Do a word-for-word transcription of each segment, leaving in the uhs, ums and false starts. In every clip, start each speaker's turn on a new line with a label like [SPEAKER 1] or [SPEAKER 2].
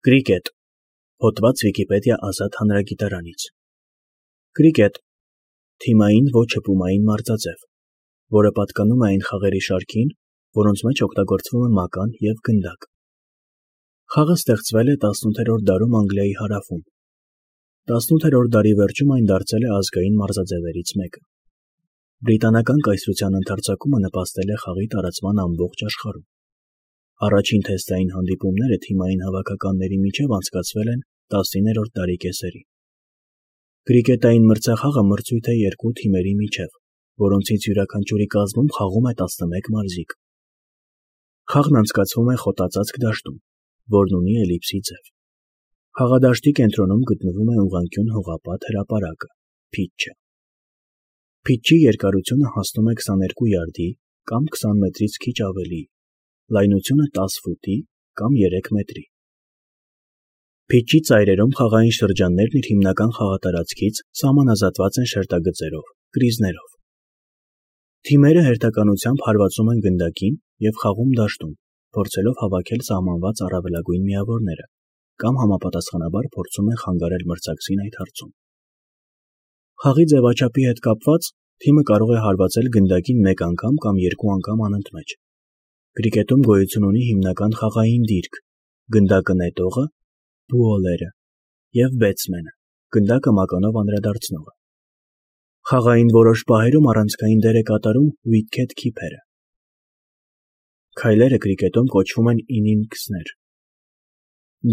[SPEAKER 1] Կրիկետ, հոդված Վիկիպեդիա ազատ հանրագիտարանից։ Կրիկետ, թիմային ոչ հպումային մարզաձև, որը պատկանում է այն խաղերի շարքին, որոնց մեջ օգտագործվում է մական և գնդակ։ Խաղը ստեղծվել է տասնութերորդ դարում Անգլիայի հարավում։ տասնութերորդ դարի վերջում այն դարձել է ազգային մարզաձևերից մեկը։ Բրիտանական կայսրության ընթացակումը նպաստել է խաղի տարածման ամբողջ աշխարհում։ Առաջին թեստային հանդիպումները թիմային հավաքականների միջև անցկացվել են տասներորդ դարի կեսերին։ Կրիկետային մրցախաղը մրցույթ է երկու թիմերի միջև, որոնցից յուրաքանչյուրի կազմում խաղում է տասնմեկ մարզիկ։ Խաղն անցկացվում է խոտածածկ դաշտում, որն ունի էլիպսի ձև։ Խաղադաշտի կենտրոնում գտնվում է ուղղանկյուն հողապատ հրապարակը՝ փիթչը։ Փիթչի երկարությունը հասնում է քսաներկու յարդի կամ քսան մետրից քիչ ավելի, լայնությունը տասը ֆուտի կամ երեք մետրի։ Փիթչի ծայրերում խաղային շրջաններն իր հիմնական խաղատարածքից սահմանազատված են շերտագծերով, կրիզներով։ Թիմերը հերթականությամբ հարվածում են գնդակին և խաղում դաշտում, փորձելով հավաքել սահմանված առավելագույն միավորները, կամ համապատասխանաբար փորձում են խանգարել մրցակցին այդ հարցում։ Խաղի ձևաչափի հետ կապված, թիմը կարող է հարվածել գնդակին մեկ անգամ կամ երկու անգամ անընդմեջ։ Կրիկետում գոյություն ունի հիմնական խաղային դիրք՝ գնդակը նետողը, բուոլերը, և բեթսմենը, գնդակը մականով անդրադարձնողը։ Խաղային որոշ պահերում առանցքային դեր է կատարում ուիկեթ քիփերը։ Քայլերը կրիկետում կոչվում են ինինգսներ։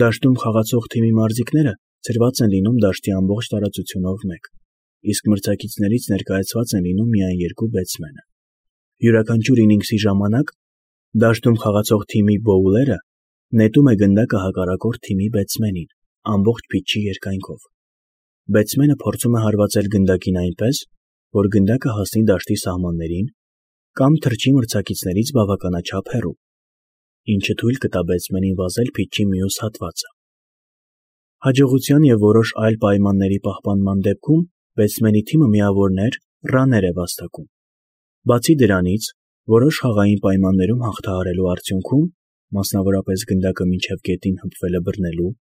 [SPEAKER 1] Դաշտում խաղացող թիմի մարզիկները ցրված են լինում դաշտի ամբողջ տարածությունով մեկ, իսկ մրցակիցներից ներկայացված են լինում միայն երկու բեթսմենը։ Յուրաքանչյուր ինինգսի ժամանակ դաշտում խաղացող թիմի բոուլերը նետում է գնդակը հակառակորդ թիմի բեթսմենին ամբողջ փիթչի երկայնքով։ Բեթսմենը փորձում է հարվածել գնդակին այնպես, որ գնդակը հասնի դաշտի սահմաններին կամ թռչի մրցակիցներից բավականաչափ հեռու, ինչը թույլ կտա բեթսմենին վազել փիթչի մյուս հատվածը։ Հաջողության և որոշ այլ պայմանների պահպանման դեպքում բեթսմենի թիմը միավորներ, ռաններ է վաստակում։ Բացի դրանից, որոշ խաղային պայմաններում հաղթահարելու արդյունքում, մասնավորապես գնդակը մինչև գետին հպվելը բռնելու,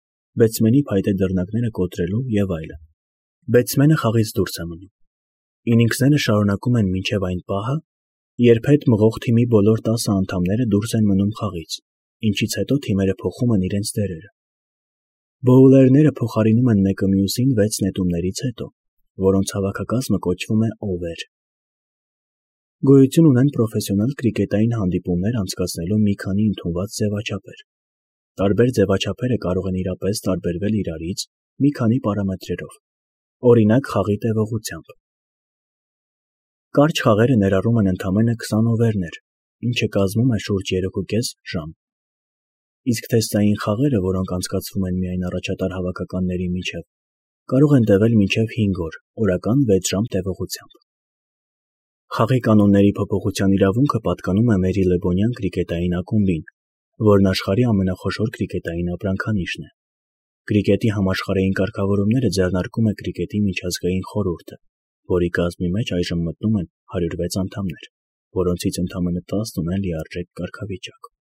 [SPEAKER 1] բեթսմենի փայտե դռնակները կոտրելու և այլն, բեթսմենը խաղից դուրս է մնում։ Ինինգսները շարունակում են մինչև այն պահը, երբ հետ մղող թիմի բոլոր տասը անդամները դուրս են մնում խաղից, ինչից հետո թիմերը փոխում են իրենց դերերը։ Բոուլերները փոխարինում են մեկը մյուսին վեց նետումներից հետո, որոնց հավաքակազմը կոչվում է օվեր։ Գոյություն ունեն պրոֆեսիոնալ կրիկետային հանդիպումներ անցկացնելու մի քանի ընդունված ձևաչափեր։ Տարբեր ձևաչափերը կարող են իրապես տարբերվել իրարից մի քանի պարամետրերով, օրինակ խաղի տևողությամբ։ Կարճ խաղերը ներառում են ընդամենը քսան օվերներ, ինչը կազմում է շուրջ երեքուկես ժամ։ Իսկ թեստային խաղերը, որոնք անցկացվում են միայն առաջատար հավաքականների միջև, կարող են տևել մինչև հինգ օր, օրական վեց ժամ տևողությամբ։ Խաղի կանոնների փոփոխության իրավունքը պատկանում է Մերիլեբոնյան կրիկետային ակումբին, որն աշխարհի ամենախոշոր կրիկետային ապրանքանիշն է։ Կրիկետի համաշխարհային կարգավորումները ձեռնարկում է Կրիկետի միջազգային խորհուրդը, որի կազմի մեջ այժմ մտնում են հարյուր վեց անդամներ, որոնցից ընդամենը տասն ունեն լիարժեք կարգավիճակ։